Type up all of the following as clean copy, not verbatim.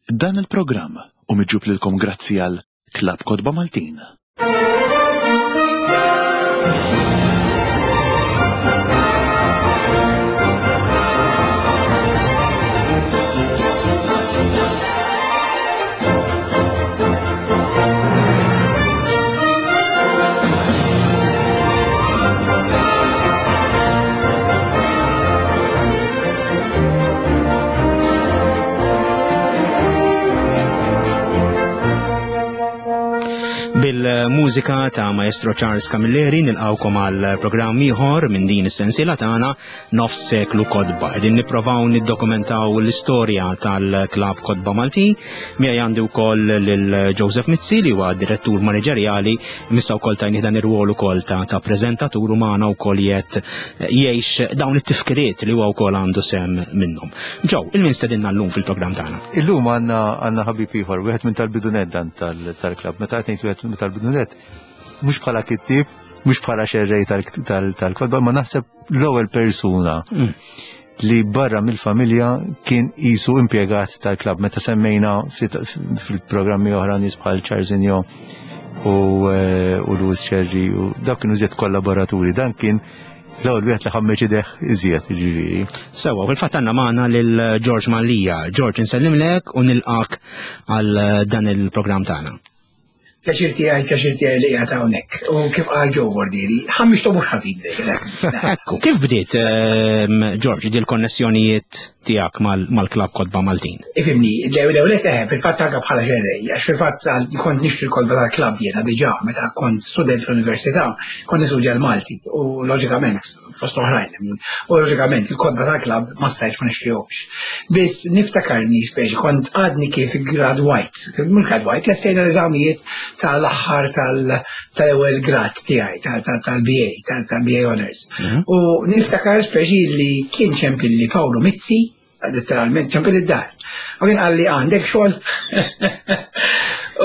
Dan il-programm hu miġjub lilkom grazzi għal Klabb Kotba Maltin. Bil-mużika ta' Maestro Charles Camilleri nilqawkom għal programm ieħor minn din is-sensiela tagħna Nofs Seklu Kotba. Qegħdin nipprovaw niddokumentaw l-istorja tal-Klabb Kotba Malti. Miegħi għandi wkoll lil Joseph Mizzi li huwa direttur maniġerjali, missa wkoll tajnih dan ir-rwol ukoll ta', ta preżentatur u magħna wkoll jgħid jgħix dawn it-tifkiriet li huwa wkoll għandu sem minnhom. Ġew, il-min stedinna llum fil-programm tagħna? Illum għandna għandna ħabib ieħor, wieħed minn tal-bidunet dan tal-klabb. Meta qed ngħid wieħed minn tal-bidunet, mhux bħala kittieb, mhux bħala xerrej tal-kotba, ma naħseb l-ewwel persuna mm. li barra mill-familja kien qisu impjegat tal-klabb. Meta semmejna fil-programmi oħra nies bħal Charles Injo u eh, u Louis Sherry u dak kienu iżjed kollaboraturi. Dan kien l-ewwel wieħed li ħammeġ ideh iżjed ġifieri. Sewwa, fil-fatt għandna magħna lil George Mallia. George insellimlek u nilqak għal dan il-programm tagħna. Pjaċir tiegħi, pjaċir tiegħi li qiegħed hawnhekk. U kif qal Joe Bordieri, ħammixtu mhux ħażin Ekku, kif bdiet ehm, George di l-konnessjonijiet tiegħek mal-klabb Kotba Maltin? Ifimni, l-ewwel eh, fil-fatt anke bħala xerrej, għax fil-fatt kont nixtri l-kotba tal-klabb jiena diġà meta kont student fl-università, kont nistudja l-Malti u loġikament fost oħrajn. U loġikament il-kotba tal-klabb ma stajtx ma nixtrihomx. Biss niftakarni speċi kont għadni kif gradwajt, mhux gradwajt, lestejna l-eżamijiet tal-aħħar tal-ewwel grad tiegħi tal-BA, tal-BA Honors. Mhm. U niftakar speċi li kien ċempilli Paolo Mizzi, letteralment ċempil id-dar. U kien qalli għandek xogħol.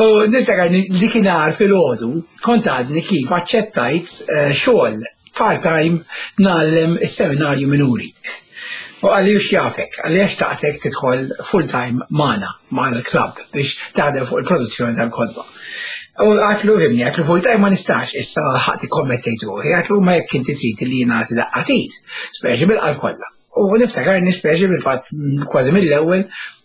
U niftakar li kien fil-ħodu, kont għadni kif aċċettajt eh, xogħol part-time ngħallem is-seminarju minuri. U għalli ux jafek, għalli għax taqtek tidħol full-time magħna, magħna l-klabb biex taħdem fuq il-produzzjoni tal-kodba. U għatlu himni, għatlu full-time ma nistax, issa ħati kommettejt ruħi, għatlu ma jekk inti trid li jien nagħti daqqatit, speċi bil-qalb kollha. U niftakar nispeċi bil-fatt kważi mill-ewwel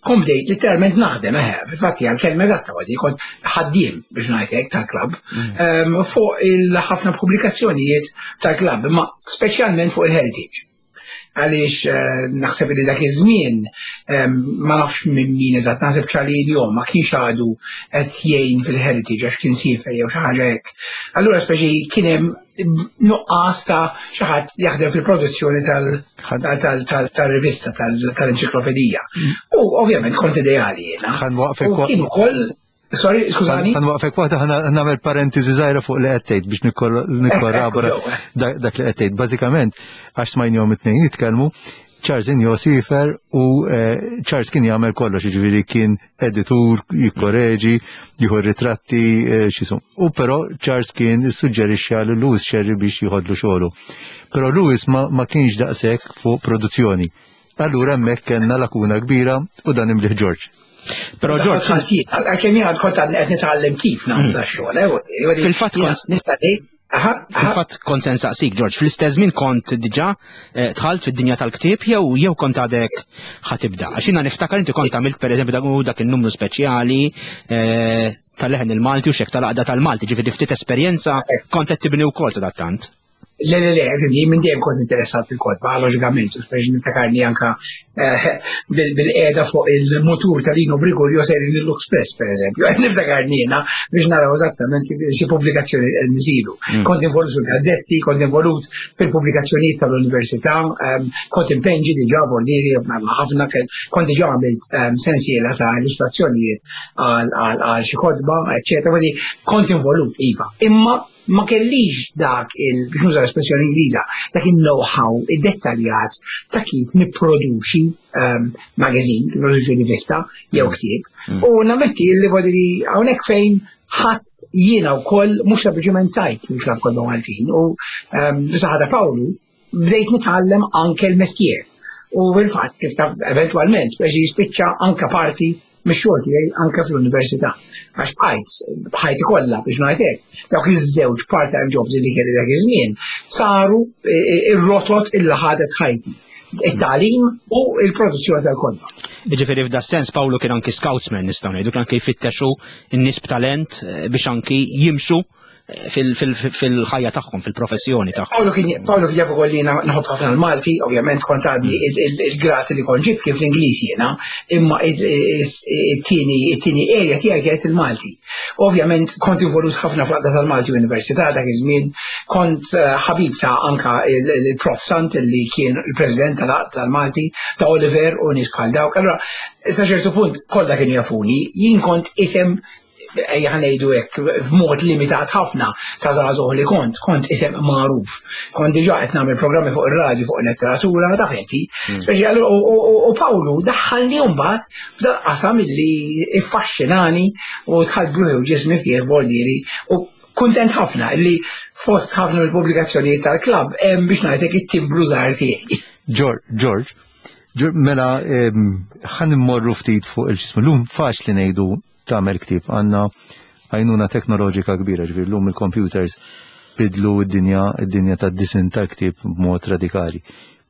kont bdejt literalment naħdem eħe, fil-fatt hija l-kelma eżatta għadi kont ħaddiem biex ngħid hekk tal-klabb mm. ehm, fuq il-ħafna pubblikazzjonijiet tal-klabb, imma speċjalment fuq il-heritage għaliex eh, naħseb li dak iż-żmien ehm, ma nafx minn min eżatt naħseb ċali l-jom ma kienx għadu qed jgħin fil-heritage għax kien siefer jew xi ħaġa hekk. Allura speċi kien hemm nuqqas ta' xi ħadd jaħdem fil-produzzjoni tal-rivista tal-enċiklopedija. Mm. U ovvjament kont ideali jiena. Kien ukoll Sorry, skużani. Għan waqfek waħda ħana nagħmel parentesi żgħira fuq li qed tgħid biex nikkorrabora dak li qed tgħid. Bażikament għax smajnihom it-tnejn jitkellmu, Charles Injo sifer u eh, Charles kien jagħmel kollox, jiġifieri kien editur, jikkoreġi, jieħu ritratti, eh, xisum. U però Charles kien issuġġerixxa lil Louis Sherry biex jieħodlu xogħlu. Però Louis ma, ma kienx daqshekk fuq produzzjoni. Allura hemmhekk kellna lakuna kbira u dan imliħ George. Però George, għalkemm jiena kont qed nitgħallem kif nagħmlu mm. xogħol, eh, Fil-fatt kont nista' Fil-fatt kont se nsaqsik, George, fl-istess żmien kont diġà eh, dħalt fid-dinja tal-ktieb jew jew kont għadek ħatibda. Għax jiena niftakar inti kont għamilt pereżempju dak dak in-numru speċjali eh, tal-leħen il-Malti u xek tal-għaqda tal-Malti, ġifieri ftit esperjenza kont qed tibni wkoll sadattant. Le, le, le, jien minn dejjem kont interessat fil-kotba, loġikament, biex niftakarni anka eh, bil-qeda fuq il-mutur tal-Lino Briguglio sejrin l-Express, per eżempju. Qed niftakarni jiena biex naraw eżattament xi pubblikazzjoni qed nżidu. Mm. Kont involut fil-gazzetti, kont involut fil-pubblikazzjonijiet tal-università, ehm, kont impenġi diġà bordieri ħafna, kont diġà għamilt ehm, sensiela ta' illustrazzjonijiet għal xi kotba, eċċetera. Kont involut, iva. Imma ma kellix dak il, biex nuża l-espressjoni Ingliża, dak il-know-how id-dettaljat ta' kif nipproduċi um, magazine, nipproduċi rivista jew mm. ktieb. Mm. U nammetti li li hawnhekk fejn ħadd jiena wkoll mhux sempliċement tajt mill-klabb kollu Maltin u um, saħada Pawlu bdejt nitgħallem anke l-mestier. U fil-fatt kif ta' eventwalment biex jispiċċa anke parti mix-xogħol tiegħi anke fl-università. Għax bqajt ħajti kollha biex ngħid hekk, dawk iż-żewġ part-time jobs li kelli dak iż-żmien saru e, e, ir-rotot illi ħadet ħajti it-tagħlim u il-produzzjoni tal-kotba. Ġifieri f'da sens Pawlu kien anki scoutsman nistgħu ngħidu kien anki jfittexu n-nies b'talent eh, biex anki jimxu fil-ħajja tagħhom, fil-professjoni tagħhom. Paolo kien Paolo kien jaf ukoll jiena nħobb ħafna l-Malti, ovvjament kont għadni il-grati li kont ġibt kien fl-Ingliż jiena, imma it-tieni it-tieni area tiegħi kienet il-Malti. Ovvjament kont involut ħafna fl-Għaqda tal-Malti Università dak iż-żmien, kont eh, ħabib ta' anka il-Prof Sant li kien il-President tal-Malti, ta' Oliver u nies bħal dawk. Allura, sa ċertu punt kollha kienu jafuni, jien kont isem ejja ngħidu hekk f'mod limitat ħafna ta' żagħżugħ li kont, kont isem magħruf. Kont diġà qed nagħmel programmi fuq ir-radju fuq il-letteratura, taf inti. Hmm. Speċi u Pawlu daħħalni mbagħad f'dan qasam illi iffaxxinani u dħalt bruħi u ġismi fih voldieri u kuntent ħafna li fost ħafna mill-pubblikazzjonijiet tal-klabb hemm biex ngħidlek it-timbru żgħar tiegħi. George, mela ħan immorru ftit fuq il-ġismu. Lum faċli ngħidu tagħmel ktieb għandna għajnuna teknoloġika kbira, ġifieri llum il-computers bidlu d-dinja, id-dinja tad-disin tal-ktieb b'mod radikali.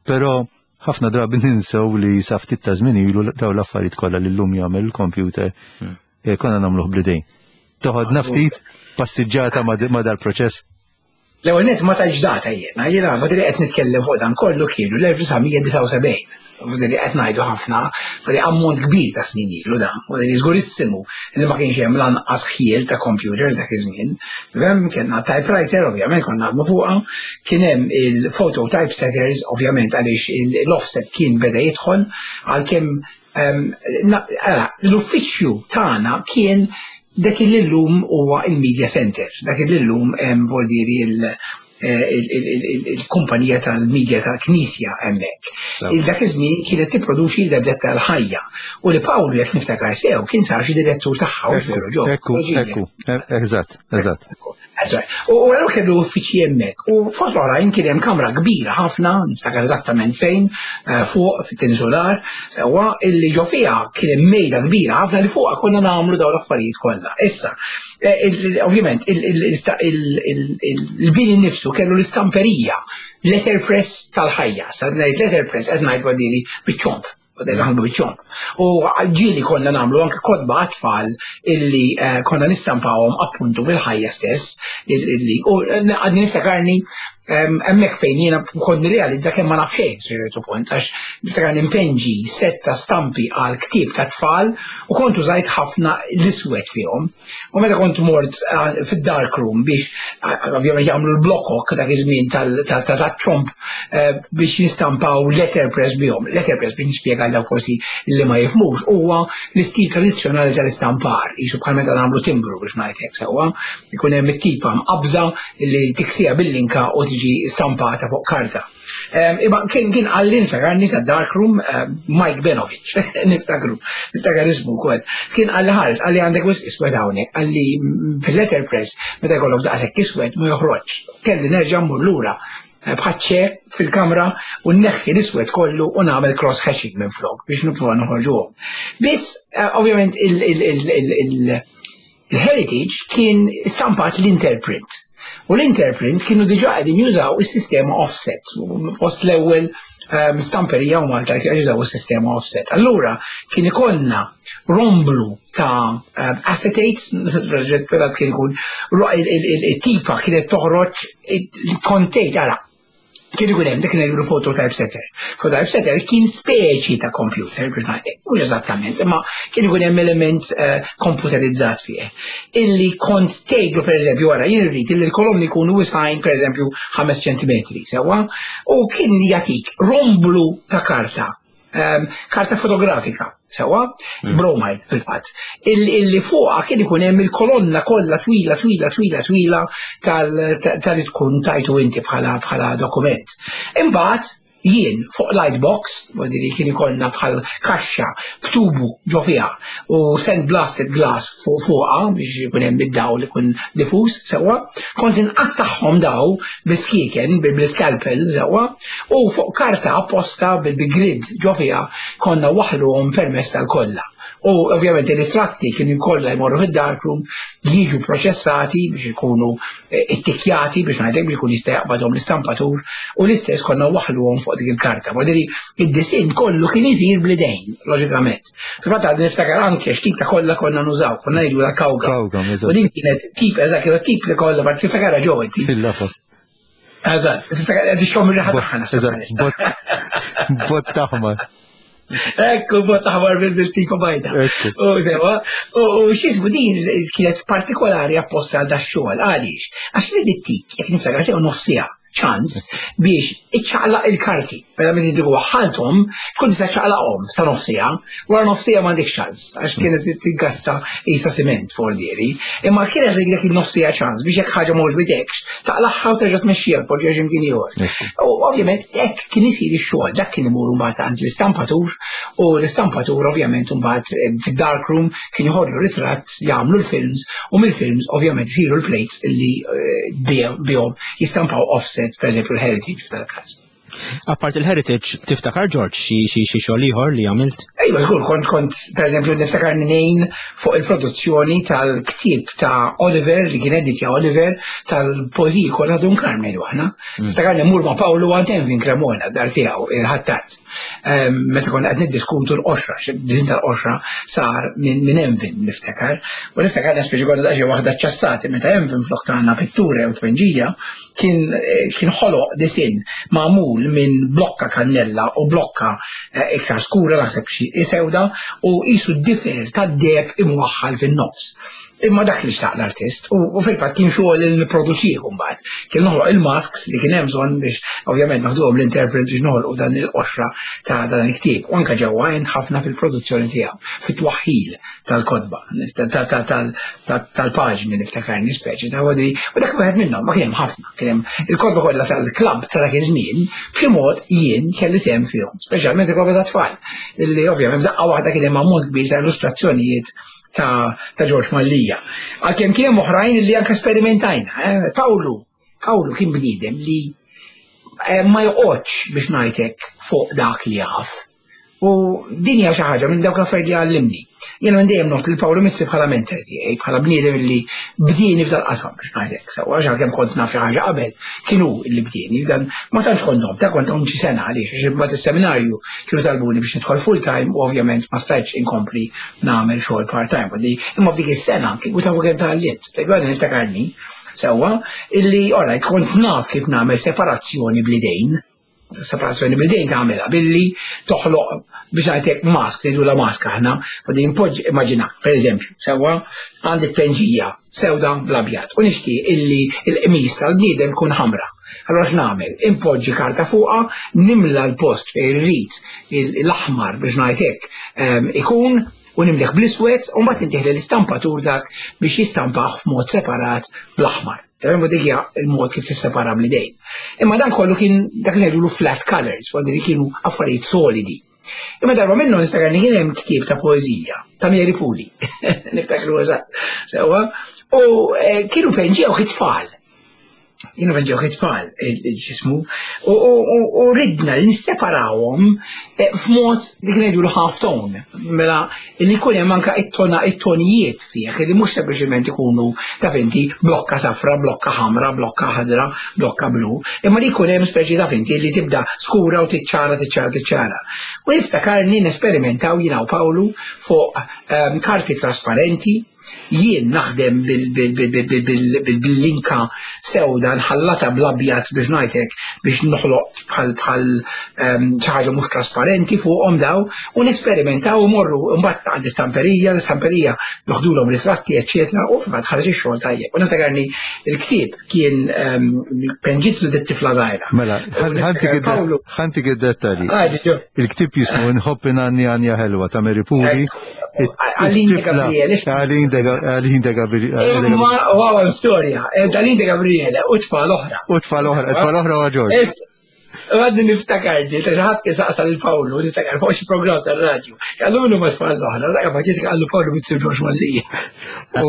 Però ħafna drabi ninsew li sa ftit ta' żmien ilu daw l-affarijiet kollha li llum jagħmel il-computer hmm. eh, konna nagħmluh bl-idejn. Toħodna ftit passiġġata ma' dal-proċess. L-ewwel nett ma tajtx data jiena, jiena fadli qed nitkellem fuq dan kollu kienu l-1979. Fadli qed ngħidu ħafna, fadli ammont kbir ta' snin ilu dan, fadli żgurissimu li ma kienx hemm lanqas ħjiel ta' computers dak iż-żmien. Fem kellna typewriter, ovvjament konna naħdmu fuqha, kien hemm il-photo typesetters, ovvjament għaliex l-offset kien beda jidħol, għalkemm ehm, l-uffiċċju tagħna kien dak li llum huwa il-media center, dak li llum hemm voldiri eh, il-kumpanija tal-media tal-Knisja hemmhekk. Dak iż-żmien kienet tipproduċi l-gazzetta l-ħajja u li Pawlu jekk niftakar sew kien sar xi direttur tagħha u veru ġo. Ekku, ekku, eżatt, eżatt. U għallu kellu uffiċi hemmhekk. U fost l-oħrajn kien hemm kamra kbira ħafna, niftakar eżattament fejn, eh, fuq fit-tieni solar, sewwa illi ġo fiha kien hemm mejda kbira ħafna li fuqha konna nagħmlu dawn l-affarijiet kollha. Issa, eh, ovvjament, il-bini nnifsu kellu l-istamperija, letterpress tal-ħajja, sa ngħid letterpress qed ngħid wadili biċ-ċomp. Bdejna naħdmu biċ-ċomp. U ġieli konna nagħmlu anke kotba għat-tfal illi eh, konna nistampawhom appuntu fil-ħajja stess illi u għadni niftakarni hemmhekk fejn jiena kont nirrealizza kemm ma naf xejn ċertu punt għax niftakar nimpenġi set ta' stampi għal ktieb ta' tfal u kont użajt ħafna l-iswed fihom. U meta kont mort eh, fid-dark room biex eh, ovvjament jagħmlu l-blokok dak iż-żmien tal-ċomp eh, biex jistampaw letterpress bihom. Letterpress biex nispjega daw forsi li ma jifmux huwa l-istil tradizzjonali tal-istampar, jisu bħal meta nagħmlu timbru biex ngħid hekk sewwa, ikun hemm it-tipa mqabża li tiksija bil-linka u tiġi stampata fuq karta. Imma kien kien għalli niftakarni ta' Darkroom Mike Benovic, niftakru, niftakar ismu wkoll. Kien għalli ħares, għalli għandek wisq iswed hawnhekk, għalli fil-letterpress meta jkollok daqshekk iswed ma joħroġ. Kelli nerġa' mmur lura eh, bħaċċe fil-kamra u nneħħi l-iswed kollu u nagħmel cross hatching minn flok biex nipprova noħorġuhom. Biss, eh, ovvjament il- Il-Heritage kien stampat l-Interprint. U l-Interprint kienu diġa qegħdin jużaw is-sistema offset. Fost l-ewwel ehm, stamperija u Malta kienu jużaw is-sistema offset. Allura kien ikollna romblu ta' ehm, acetate, kien ikun il-tipa kienet toħroġ il-kontejt, ara, kien ikun hemm dik ngħidulu phototypesetter. Phototypesetter kien speċi ta' computer biex ngħidlek, mhux eżattament, imma kien ikun hemm element eh, komputerizzat fih. Illi kont tgħidlu pereżempju wara jien irrid illi l-kolonni jkunu wisgħin pereżempju 5 ċentimetri, sewwa, u kien jagħtik romblu ta' karta Ehm, karta fotografika, sewa, mm. bromide fil-fatt, illi fuqha kien ikun hemm il-kolonna kollha twila, twila, twila, twila tal-li tkun tajtu inti bħala bħala dokument. Imbagħad jien fuq lightbox, li kien ikollna bħal kaxxa b'tubu ġo fiha u sand blasted glass fuq fuqha biex ikun hemm id-dawl ikun diffuż sewwa, kont inqattagħhom daw biskieken bil-scalpel sewwa u fuq karta apposta bil-grid ġo fiha konna waħluhom permezz tal-kolla. U ovvjament ir-ritratti kienu jkollha jmorru fid-darkroom, jiġu proċessati biex ikunu eh, ittikjati biex ngħidlek biex ikun jista' jaqbadhom l-istampatur u l-istess konna waħluhom fuq dik il-karta. Vodiri id-disinn kollu kien isir bl-idejn, loġikament. Fil-fatt għad niftakar anke x'tip ta' kollha konna nużaw, konna ngħidu la kawga. U din kienet tip, eżatt, kienet tip li kollha, ma tiftakar ġew inti. Eżatt, tiftakar qed ixxomm ir-riħa tagħha. Eżatt, bot taħmar. Ekku, bot taħmar bil-tipa bajda. U sewa, u xismu din kienet partikolari apposta għal dax-xogħol, għaliex? Għax li dit-tik, jekk niftakar sew nofsija ċans biex iċċaqlaq il-karti. Mela minn dik waħħalthom, tkun tista' ċaqlaqhom sa nofsija, wara nofsija m'għandek ċans, għax kienet tiggasta isa siment fordieri. Imma kienet dik dak il-nofsija ċans biex jekk ħaġa mhux bidekx, taqlagħha u terġa' tmexxija tpoġġiha x'imkien ieħor. U ovvjament hekk kien isir ix-xogħol, dak kien imur mbagħad għand l-istampatur u l-istampatur ovvjament mbagħad eh, fid-dark room kien joħodlu ritratt, jagħmlu l-films u mill-films ovvjament isiru l-plates illi eh, bihom jistampaw offset, per eżempju l-heritage f'dal-każ. Apart il-heritage, tiftakar George xi xi xi xogħol ieħor li għamilt? Ejwa, żgur, kont kont pereżempju niftakar ngħin fuq il-produzzjoni tal-ktieb ta' Oliver li kien editja Oliver tal-poeżiji kollha Dun Carmel aħna. Mm. Niftakar li mur ma' Pawlu għand Envin Cremona dar tiegħu il-ħattart. Ehm, meta konna qed niddiskutu l-qoxra, din tal-qoxra sar minn Envin niftakar. U niftakar li speċi konna daqsxejn waħda ċassati meta Envin flok tagħna pittura jew tpenġija kien eh, kien ħoloq disinn magħmul minn blokka kannella u blokka eh, iktar skura naħseb xi sewda u qisu d-difer tad-deb imwaħħal fin-nofs. Imma dak li xtaq l-artist u fil-fatt kien xogħol li nipproduċih mbagħad. Kien noħloq il-masks li kien hemm bżonn biex ovvjament naħduhom l-interpret biex noħolqu dan il-qoxra ta' dan il-ktieb. U anke ġewwa għent ħafna fil-produzzjoni tiegħu, fit-twaħħil tal-kotba, tal-paġni niftakarni speċi ta' għodri, u dak wieħed minnhom, ma kien hemm ħafna, kien hemm il-kotba kollha tal-klabb ta' dak iż-żmien, b'xi mod jien kelli sehem fihom, speċjalment il-kotba ta' tfal, li ovvjament f'daqqa waħda kien hemm ammont kbir ta' illustrazzjonijiet ta' George Mallia. Għalkemm kien hemm oħrajn li anke sperimentajna, eh? Pawlu, Pawlu kien bniedem li eh, ma joqgħodx biex ngħidlek fuq dak li jaf. U din hija xi ħaġa minn dawk l-affarijiet li għallimni. Jiena minn dejjem noħt lil Pawlu Mizzi bħala mentor tiegħi, bħala bniedem li bdieni f'dal qasam biex ngħidlek. Sewwa għax għalkemm kont naf xi ħaġa qabel, kien hu li bdieni, dan ma tantx kont noħt, ta' kont xi sena għaliex għax imbagħad is-seminarju kienu talbuni biex nidħol full time u ovvjament ma stajtx inkompli nagħmel xogħol part time. Imma f'dik is-sena kieku tafu kemm tgħallimt. Għadni niftakarni sewwa illi alright kont naf kif nagħmel separazzjoni bl-idejn separazzjoni bil-dejn tagħmilha billi toħloq biex għajtek mask, ngħidu la mask aħna, u din poġġ immaġina, pereżempju, sewwa għandek penġija sewda bl-abjad u nixtieq illi l-qmis tal-bniedem kun ħamra. Allora x'nagħmel? Impoġġi karta fuqha, nimla l-post fejn irrid l-aħmar biex ngħidlek ehm, ikun u nimlih bl-iswed u mbagħad intih l-istampatur dak biex jistampah f'mod separat bl-aħmar. Tafhem dik hija l-mod kif tissepara bl-idejn. Imma dan kollu kien dak li ngħidulu flat colors, għandi li kienu affarijiet solidi. Imma darba minnu niftakar li kien hemm ktieb ta' poeżija ta' Mary Puli. Niftakru eżatt. Sewwa. U eh, kienu penġew it-tfal. Kienu penġew it-tfal ġismu. U ridna li nisseparawhom eh, f'mod li kien jgħidu half tone. Mela li jkun hemm anke it-tona it-tonijiet fih li mhux sempliċement ikunu taf inti blokka safra, blokka ħamra, blokka ħadra, blokka blu, imma li jkun hemm speċi taf inti li tibda skura u tiċċara tiċċara tiċċara. U niftakarni nesperimentaw jiena u Pawlu fuq ehm, karti trasparenti Jien naħdem bil-linka sewda nħallata bl-abjad biex ngħidlek biex noħloq bħal bħal ehm, xi ħaġa mhux trasparenti fuqhom daw u nesperimentaw u morru mbagħad għand istamperija, l-istamperija joħdulhom ritratti eċċetera u fil-fatt ħareġ ix-xogħol tajjeb. U niftakarni l-ktieb kien ehm, penġitlu dit tifla żgħira. Mela, ħantik id-dettalji. Il-ktieb jismu Nħobb inanni għanja ħelwa ta' Mary Puli. Aline de Gabriele. Aline de Gabriele. Ma għaw storja, eh, Aline de Gabriele u tfal oħra. U tfal oħra, tfal oħra u Ġorġ. Għadni niftakar di, ta' ħadd kien saqsa lil Pawlu, niftakar fuq xi programm tar-radju. Għallu ma tfal oħra, dak ma ġiet għallu Pawlu bit-sir Ġorġ Mallija. U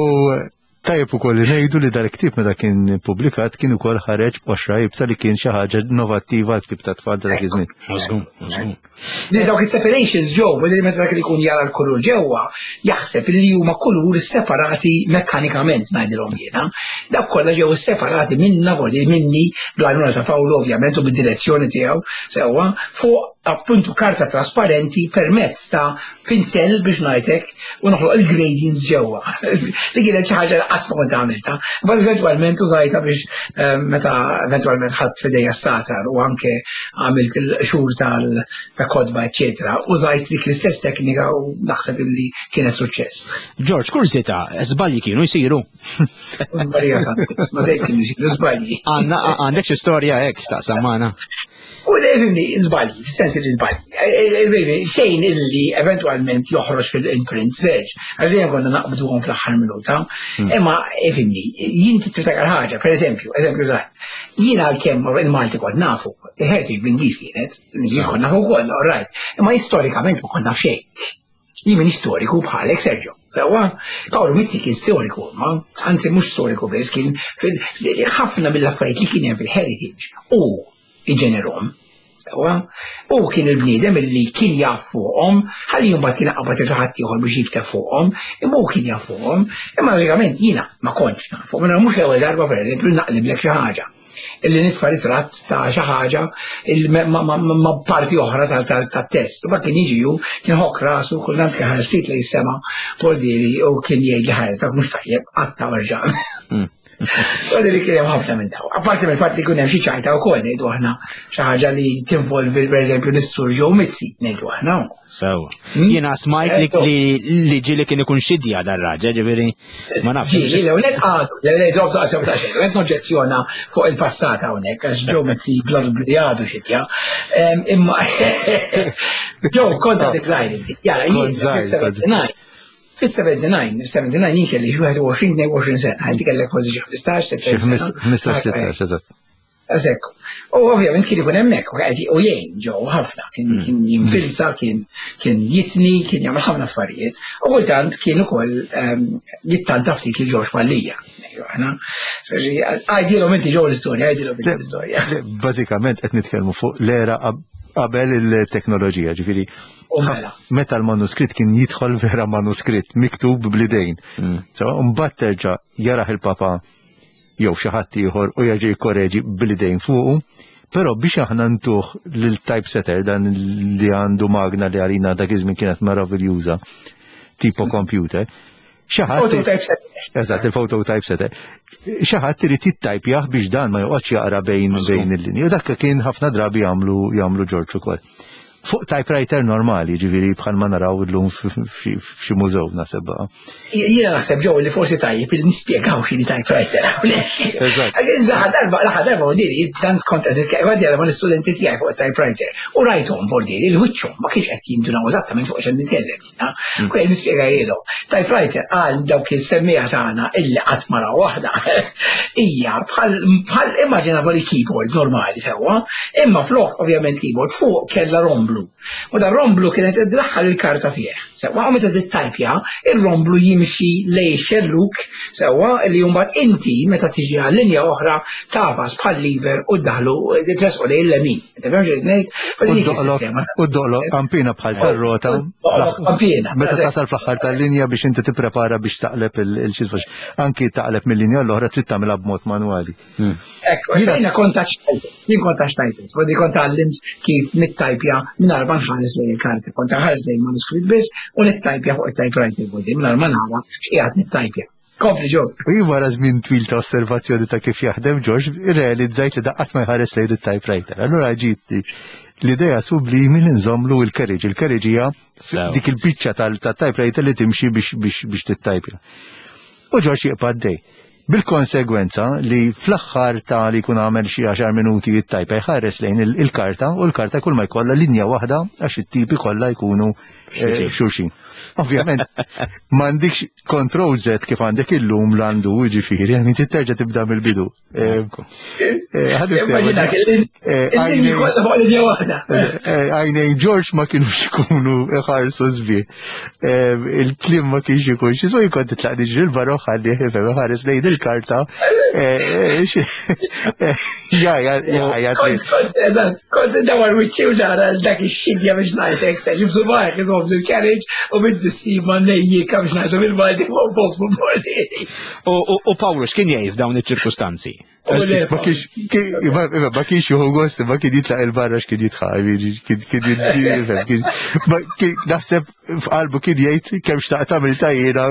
Tajjeb ukoll li ngħidu li dal-ktieb meta kien ippubblikat kien ukoll ħareġ b'qoxra iebsa li kien xi ħaġa innovattiva għal ktieb ta' tfal ta' dak iż-żmien. Li dawk is-separations ġew, li meta dak li jkun jara l-kulur ġewwa, jaħseb li huma kulur separati mekkanikament ngħidilhom jiena. Dawk kollha ġew separati minna, vordi minni, bl-għajnuna ta' Paolo ovvjament u bid-direzzjoni tiegħu sewwa fuq appuntu karta trasparenti permezz ta' pinzell biex ngħidlek u noħloq il-gradients ġewwa. Li kienet xi ħaġa li qatt ma kont għamilta. Imbagħad eventwalment użajta biex eh, meta eventwalment ħadd f'idejja s-satar u anke għamilt il-xhur tal ta' kodba, eċetera, użajt dik l-istess teknika u naħseb illi kienet suċċess. George, kurzita, żbalji kienu jsiru. Marija Santis, ma dejt kienu jsiru żbalji. Għandek xi storja hekk x'taqsam magħna. U fimni, żbalji, fis-sens li żbalji. E, e, e, xejn illi eventwalment joħroġ fil-imprint search, għax dejjem konna naqbduhom fl-aħħar minuta. Imma fimni, jien tiftakar ħaġa, per eżempju, eżempju żgħar. Jien għalkemm il-Malti kont nafu, il-heritage bl-Ingliż kienet, l-Ingliż kont nafu wkoll, all right. Imma istorikament ma kont naf xejn. Jien minn storiku bħalek Sergio. Sewwa, Paolo Mizzi kien storiku, ma anzi mhux storiku biss, kien ħafna mill-affarijiet li kien hemm fil-heritage u iġenerhom. Sewwa, u kien il-bniedem illi kien jaf fuqhom, ħalli mbagħad kien qabad il ħadd ieħor biex jikteb fuqhom, imma hu kien jaf fuqhom, imma logikament jiena ma kontx naf fuqhom, mhux l-ewwel darba pereżempju naqliblek xi ħaġa illi nitfa' ritratt ta' xi ħaġa ma' parti oħra tat-test. U kien jiġi hu, kien ħokk rasu, kultant kien ħares ftit li jissema Poldieri u kien jgħid li ħares dak mhux tajjeb, qatta' warġa. Għalli li kien hemm ħafna minn daw. Apparti mill-fatt li kien hemm xi ċajta wkoll ngħidu aħna xi ħaġa li tinvolvi pereżempju lis-Sur Joe Mizzi ngħidu aħna. Sew. Jiena smajt li li ġieli kien ikun xidja dar-raġel, ġifieri ma nafx. Ġieli, le unek għadu, le le żobb daqsem ta' xejn, qed noġġezzjona fuq il-passat hawnhekk għax Joe Mizzi bla li għadu xidja. Imma Joe kont għadek żgħir inti. Jara, jien fis-79. Fis-79, 79 jien kelli xi 21, 22 sena, inti kellek kważi xi 15, 16 15, 16, eżatt. Eżekk. U ovvjament kien ikun hemmhekk u qed u jgħin ġew ħafna, kien mm. kien jinfilsa, kien kien jitni, kien jagħmel ħafna affarijiet. U kultant kien ukoll ehm, jittanta ftit lil Ġorġ Mallija. Aħna, għajdilhom inti ġew l-istorja, għajdilhom inti l-istorja. Bażikament qed nitkellmu fuq l-era qabel il-teknoloġija, ġifieri mela. Meta l-manuskritt kien jidħol vera manuskritt miktub blidejn. Mm. So, mbagħad terġa' jaraħ il-papa jew xi ħadd ieħor u jerġa' jikkoreġi bl-idejn fuqu. Però biex aħna ntuh lil typesetter dan li għandu magna li għalina dak iż-żmien kienet meraviljuża, tipo computer. Xi ħadd Eżatt, il-photo typesetter. Xi ħadd irid jittajpjah biex dan ma joqgħodx jaqra bejn bejn il-linji. U dak kien ħafna drabi jagħmlu jagħmlu Ġorġ ukoll. Fuq typewriter normali, ġifieri bħal ma naraw illum f'xi mużew naħseb baqa'. Jiena naħseb ġew li forsi tajjeb li nispjegaw x'inhi typewriter hawnhekk. Eżatt. Darba l-aħħar darba diri tant kont qed nitkellem kont jara mal-istudenti tiegħi fuq typewriter u rajthom vordiri il-wiċċhom ma kienx qed jindunaw eżattament fuq x'qed nitkellem jiena. Mm. U qed nispjegajilhom. Typewriter għal dawk is-semmiegħa tagħna illi qatt ma raw waħda hija bħal bħal immaġina li keyboard normali sewwa, imma flok ovvjament keyboard fuq kellha romblu. U da romblu kienet iddaħħal il-karta fih. Sewwa u meta tittajpja, ir-romblu jimxi lej xelluk sewwa li mbagħad inti meta tiġi għal linja oħra tafas bħal lever u ddaħlu tresqu lejn l-lemin. U doqlo kampina bħal tar-rota. Kampina. Meta tasal fl-aħħar tal-linja biex inti tipprepara biex taqleb il-xisfax. Anki taqleb mill-linja l-oħra trid tagħmilha b'mod manwali. Hmm. Ekku, jiena kont taċ jien kont taċ tajpis, għodi kont għallimt kif nittajpja minn ma nħares lejn il-karti, kont ħares lejn manuskritt biss u nittajpja fuq it-typewriter bodi minn ma nara x'qiegħed nittajpja. Kompli ġo. U jien wara żmien twil ta' osservazzjoni ta' kif jaħdem George, irrealizzajt li daqqat ma jħares lejn it-typewriter. Allura ġiet l-idea sublimi li nżomlu il-carriage. Il-carriage hija dik il-biċċa tal-typewriter li timxi biex tittajpja. U George jibqa' għaddej. Bil-konsegwenza li fl-aħħar ta' li jkun għamel xi għaxar minuti jittajpa jħares lejn il-karta u l-karta kull ma jkollha linja waħda għax it-tipi kollha jkunu eh, xulxin. Ovvjament, m'għandikx control Z kif għandek illum l-għandu, ġifieri, għani terġa' tibda mill-bidu. Eh, eh, eh, għajnejn George ma kienux ikunu iħarsu sbi. Il-klim ma kienx ikun xi so jkun titlaq diġri l-barra ħalli ħifem iħares lejn il-karta. Ja, ja, ja, ja. Eżatt, kont dawar wiċċi u nara dak ix-xidja biex ngħidlek se jibżu bark iżomm l-carriage u bid-dissima nejjika biex ngħidu bil-Malti fuq fuq fuq U Pawlu x'kien jgħid f'dawn iċ-ċirkustanzi? Ma kienx juhu gost, ma kien jitlaq il-barra x'kien jitħaq, kien naħseb f'qalbu kien jgħid kemm xtaqt tagħmel tajjina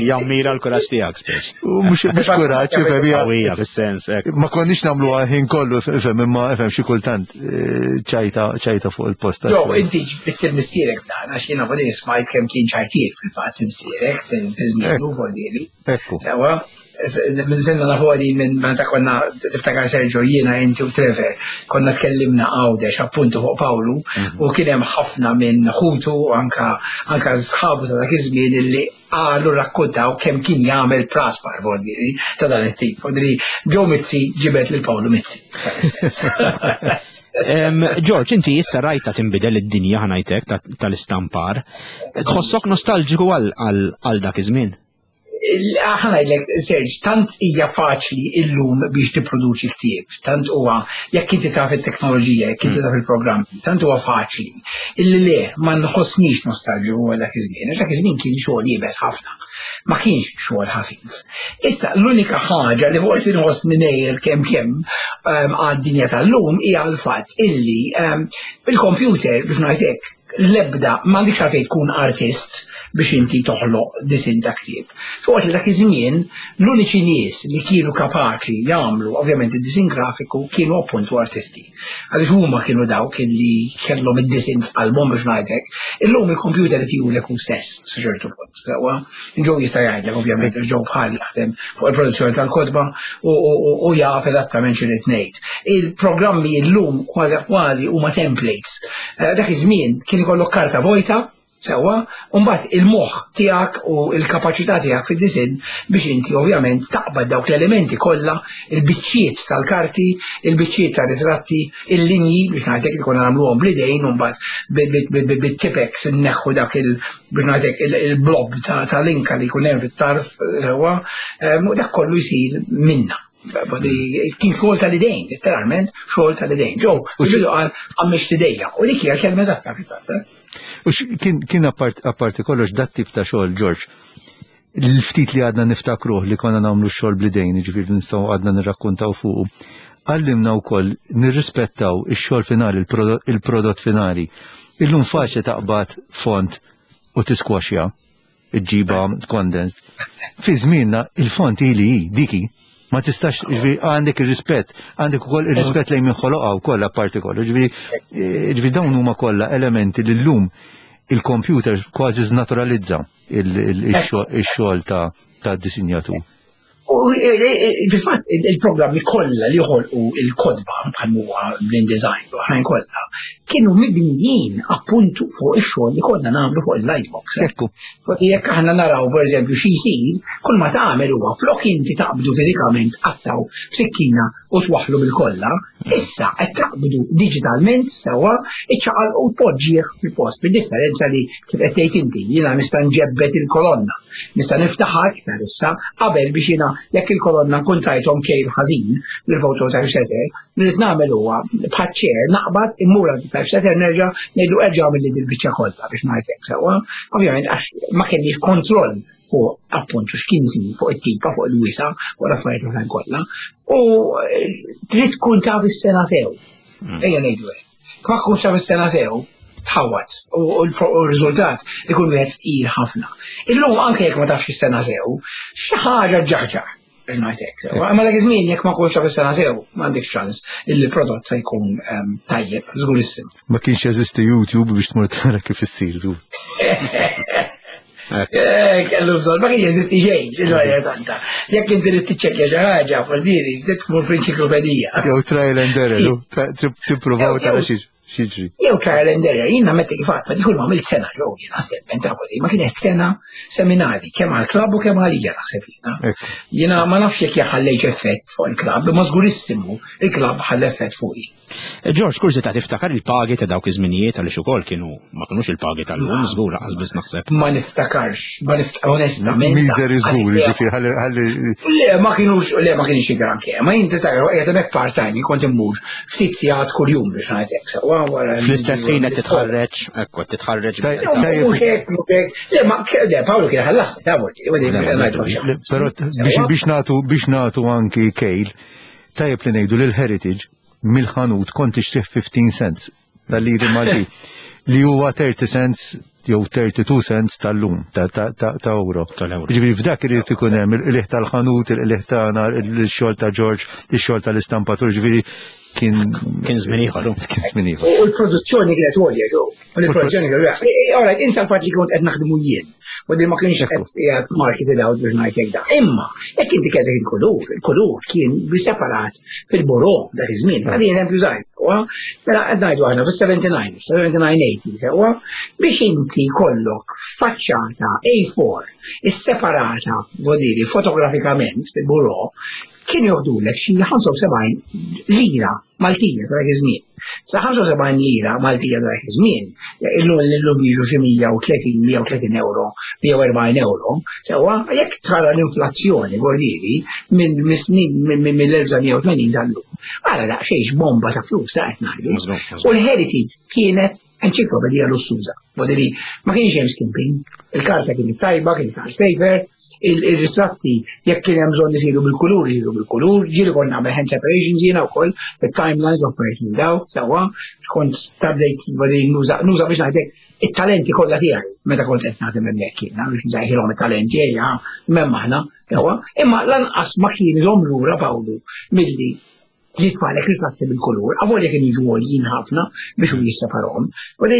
Jammira l-kuraġġ tiegħek speċ. Mhux kuraġġ, ifhem hija fis-sens. Ma konniex nagħmlu ħin kollu ifhem imma ifhem xi kultant eh, ċajta ċajta fuq il-post. Jo, inti ġbitt il-missierek dan għax jiena voli smajt kemm kien ċajtier fil-fatt missierek fil-żmien u voli. Ekku. Sewa, minn sinna nafu għadi minn meta konna tiftakar Sergio jiena inti u Trevor konna tkellimna Għawdex appuntu fuq Pawlu mhm. u kien hemm ħafna minn ħutu anka anka sħabu ta' dak iż-żmien illi qalu rakkontaw kemm kien jagħmel praspar vordieri ta' dan it-tip. Vordieri Joe Mizzi ġibet lil Pawlu Mizzi. George, inti issa rajta tinbidel id-dinja ħanajtek tal-istampar. Tħossok nostalġiku għal dak iż-żmien? Ħa ngħidlek, Serge, tant hija faċli illum biex tipproduċi ktieb, tant huwa jekk inti taf it-teknoloġija, jekk inti taf il-programmi, tant huwa faċli. Illi le, ma nħossnix nostalġiku għal dak iż-żmien, għax dak iż-żmien kien xogħol iebes ħafna. Ma kienx xogħol ħafif. Issa l-unika ħaġa li forsi nħossni ngħir kemm kemm ehm, għad-dinja tal-lum hija l-fatt illi ehm, bil-computer biex ngħid hekk l-ebda m'għandikx għalfejn tkun artist biex inti toħloq disin ta' ktieb. Fuq li dak iż-żmien l-uniċi nies li kienu kapaċi jagħmlu ovvjament id-disin grafiku kienu appuntu artisti. Għaliex huma kienu dawk li kellhom id-disin f'qalbhom biex ngħidlek. Illum il-computer qed jurek hu stess sa ċertu punt. Sewwa, Joe jista' jgħidlek ovvjament għax Joe bħali jaħdem fuq il-produzzjoni tal-kotba u jaf eżattament x'irid ngħid. Il-programmi llum kważi kważi huma templates. Eh, dak iż-żmien kien ikollok karta vojta sewwa, u mbagħad il-moħħ tiegħek u l-kapaċità tiegħek fid-disinn biex inti ovvjament taqbad dawk l-elementi kollha, il-biċċiet tal-karti, il-biċċiet tar-ritratti, il-linji biex ngħidlek li konna nagħmluhom bl-idejn u mbagħad bit-tipex inneħħu dak il- biex ngħidlek il-blob ta' linka li jkun hemm fit-tarf sewwa, u dak kollu jsir minna. Kien xogħol tal-idejn, letteralment xogħol tal-idejn. Ġew, fil-bidu qal għammex l-idejja. U dik hija kelma eżatta fil-fatt. Eh? U kien apparti kollox dat tip ta' xogħol, George, l-ftit li għadna niftakruh li konna nagħmlu x-xogħol bl-idejn, ġifieri nistgħu għadna nirrakkuntaw fuqu, għallimna wkoll nirrispettaw ix-xogħol finali, il-prodott finali. Illum faċli taqbad font u tiskwaxja, iġġiba condensed. Fi żmienna il-font ili hi diki. Ma tistax, ġifieri għandek ir-rispett, għandek ukoll ir-rispett lejn min ħoloqha wkoll apparti kollu. Ġifieri eh, ġifieri dawn huma kollha elementi li llum il-computer kważi żnaturalizza il-xogħol ta' disinjatur. U e, e, e, fil-fatt il-programmi kollha li ħolqu il-kodba bħal huwa l-InDesign u oħrajn kollha kienu mibnijin appuntu fuq ix-xogħol li konna nagħmlu fuq il-lightbox. Ekku. Jekk aħna naraw pereżempju xi jsir, kull ma tagħmel huwa flok inti taqbdu fiżikament qattaw b'sikkina u twaħħlu bil-kolla, issa qed taqbdu diġitalment sewwa iċċaqal u tpoġġih fil-post, bid-differenza li kif qed tgħid inti, jiena nista' nġebbed il-kolonna, nista' niftaħha iktar issa qabel biex jiena jekk il-kolonna nkun tajthom kejl ħażin lill-photo typesetter, li rrid nagħmel huwa bħaċ-ċer naqbad immur għand typesetter nerġa' ngħidlu erġa' għamilli dil-biċċa kollha biex ngħid hekk sewwa. Ovvjament għax ma kellix kontroll fuq appuntu x'kien isir fuq it-tipa, fuq il-wisa, fuq l-affarijiet l-oħrajn kollha. U eh, trid tkun taf is-sena sew. Mm. Ejja ngħidu hekk. Kma tkunx taf is-sena sew, tħawat u r-riżultat ikun wieħed fqir ħafna. Illum anke jekk ma tafx is-sena sew, xi ħaġa ġaħġaħ. Biex ngħid hekk. Ma dak iż-żmien jekk ma kunx taf is-sena sew, m'għandekx ċans illi l-prodott se jkun ehm, tajjeb, żgur issim. Ma kienx jeżisti YouTube biex tmur tara kif issir żgur. Eh, kellu bżonn, ma kienx jeżisti xejn, il-Marja Santa. Jekk inti trid tiċċekkja xi ħaġa, fordiri, trid tmur fl-enċiklopedija. Jew trial and error, tippruvaw tara xi. X'jiġri? Jew trial and error, jien nammetti kif għadfa dik kull ma għamilt sena ġew jien stepment ta' ma kienet sena seminali kemm għall-klabb u kemm għalija naħseb jiena. Jiena ma nafx jekk ħallejx effett fuq il-klabb, ma żgurissimu il-klabb ħall effett fuqi. George, kurżità tiftakar il-pagi ta' dawk iż-żminijiet għaliex ukoll kienu ma kinux il-pagi tal-lum, żgur lanqas biss naħseb. Ma niftakarx, ma niftakar onestament. Miżeri żgur, jiġifieri ħalli ħalli. Le, ma kienux, le ma kienx granché, ma jien tiftakar qiegħed hemmhekk part-time, kont immur ftit sigħat kuljum biex ngħidlek sewwa wara. Fl-istess ħin qed titħarreġ, ekku qed titħarreġ. Mhux hekk, mhux hekk. Le, ma le, Paolo kien ħallas, ta' Però biex nagħtu biex nagħtu anki kejl, tajjeb li ngħidu li l-Heritage mill-ħanut kont tixtrih 15 cents tal-liri Malti li huwa 30 cents jew 32 cents tal-lum ta' euro. Ġifieri f'dak irid ikun hemm il-qligħ tal-ħanut, il-qligħ tagħna, il-xogħol ta' George, ix-xogħol tal-istampatur, ġifieri kien kien żmien ieħor. Kien żmien ieħor. U l-produzzjoni kienet għolja ġew. U l-produzzjoni kienet għolja. Ora, insa l-fatt li kont qed naħdmu jien. U din ma kienx qed qiegħed marketed out biex ngħidlek da. Imma jekk inti kellek il-kulur, il-kulur kien separat fil-buro dak iż-żmien. Għadi eżempju żgħir, mela qed ngħidu aħna fis-79, 79-80, sewwa, biex inti kollok faċċata A4 isseparata, vodiri, fotografikament fil-buro, kien joħdulek xi 75 lira Maltija ta' dak iż-żmien. Sa 75 lira Maltija ta' dak iż-żmien, illum illum jiġu xi 130, 130 euro, 140 euro, sewwa jekk tara l-inflazzjoni bordieri minn mill-1980 sal-lum. Ara daqsxejn bomba ta' flus ta' qed ngħidu. U l-heritage kienet enċiklopedija lussuża. Bodili, ma kienx hemm skimping, il-karta kienet tajba, kienet art paper, il-ritratti jekk kien hemm bżonn isiru bil-kulur, isiru bil-kulur, ġieli kont nagħmel hand separations jiena wkoll fit-timelines u affarijiet minn daw, sewwa, kont tabdejt nuża nuża biex ngħidlek it-talenti kollha tiegħi meta kont qed naħdem hemmhekk jiena biex nżajħilhom it-talenti ejja m'hemm aħna, sewwa, imma lanqas ma kien iżomm lura Pawlu milli jitfalek ritratti bil-kulur, avolja kien jiġu għoljin ħafna biex u jisseparhom. U li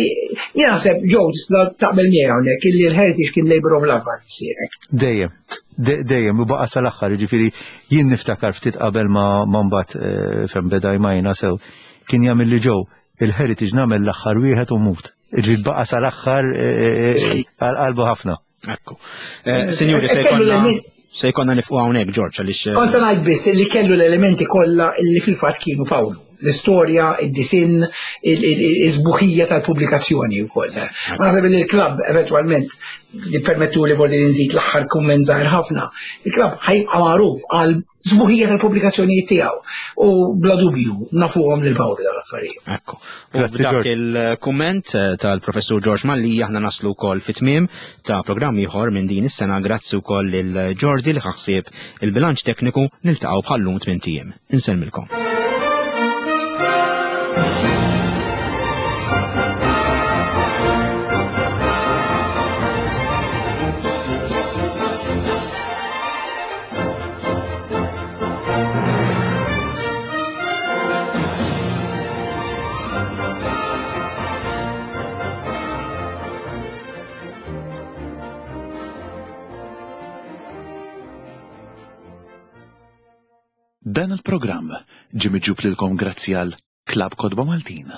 jien naħseb ġew tista' taqbel miegħi hawnhekk illi l-heritage kien labor of love għal missierek. Dejjem, dejjem, u baqa' sal-aħħar, jiġifieri jien niftakar ftit qabel ma mbagħad eh, fejn beda jmajna sew, kien jagħmel li ġew il-heritage nagħmel l-aħħar wieħed u mut. Ġifieri baqa' sal-aħħar eh, eh, għal qalbu ħafna. Ekku. Eh, Sinjuri, se jkollna se jkollna nifqu hawnhekk Ġorġ għaliex. Eh, Kont se ngħid biss li kellu l-elementi kollha li fil-fatt kienu Pawlu. L-istorja, id-disinn, iż-żbuħija tal-pubblikazzjoni wkoll. Ma naħseb li l-klabb eventwalment li permettu li volli nżid l-aħħar kumment żgħir ħafna. Il-klabb ħajbqa' magħruf għal Sbuħija tal-pubblikazzjonijiet tiegħu u bla dubju nafuhom lil Pawlu dawn l-affarijiet. Ekku. U b'dak il-kumment eh, tal-professur George Malli aħna naslu wkoll fit-tmiem ta' programm ieħor minn din is-sena grazzi wkoll lil Jordi li ħaħsieb il-bilanċ tekniku niltaqgħu bħallum tmien ijiem. Insellmilkom. Dan il-programm ġie miġjub lilkom grazzi għal Klabb Kotba Maltin.